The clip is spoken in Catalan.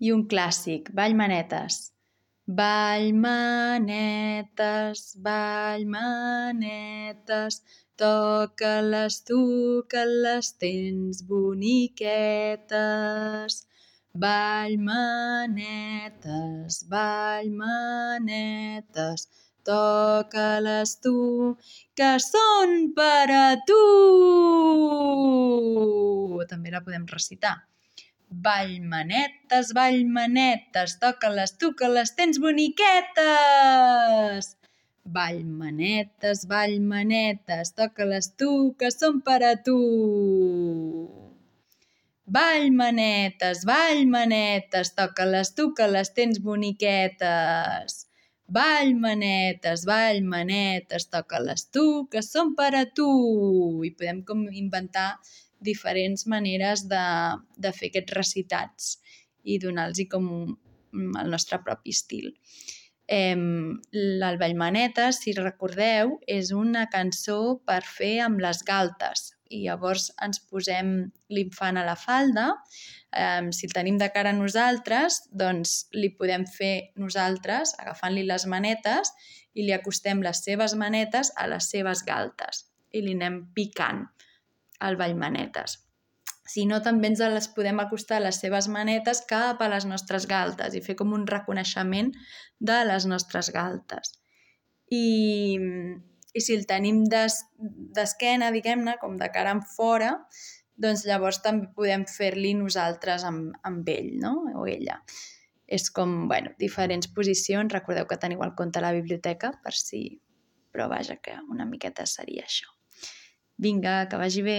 I un clàssic, ball manetes. Ball manetes, toca-les tu que les tens boniquetes. Ball manetes, toca-les tu que són per a tu. També la podem recitar. Ball manetes, toca-les tu que les tens boniquetes. Ball manetes, toca-les tu que són per a tu. Ball manetes, toca-les tu que les tens boniquetes. Ball manetes, toca-les tu que són per a tu. I podem com inventar diferents maneres de fer aquests recitats i donar-los com el nostre propi estil. El Vallmanetes, si recordeu, és una cançó per fer amb les galtes i llavors ens posem l'infant a la falda. Si el tenim de cara a nosaltres, doncs li podem fer nosaltres agafant-li les manetes i li acostem les seves manetes a les seves galtes i li anem picant al Vallmanetes. Si no, també ens les podem acostar a les seves manetes cap a les nostres galtes i fer com un reconeixement de les nostres galtes. I si el tenim d'esquena, diguem-ne, com de cara en fora, doncs llavors també podem fer-li nosaltres amb ell, no? O ella. És com, diferents posicions. Recordeu que teniu el conte a la biblioteca, per si... Però vaja, que una miqueta seria això. Vinga, que vagi bé!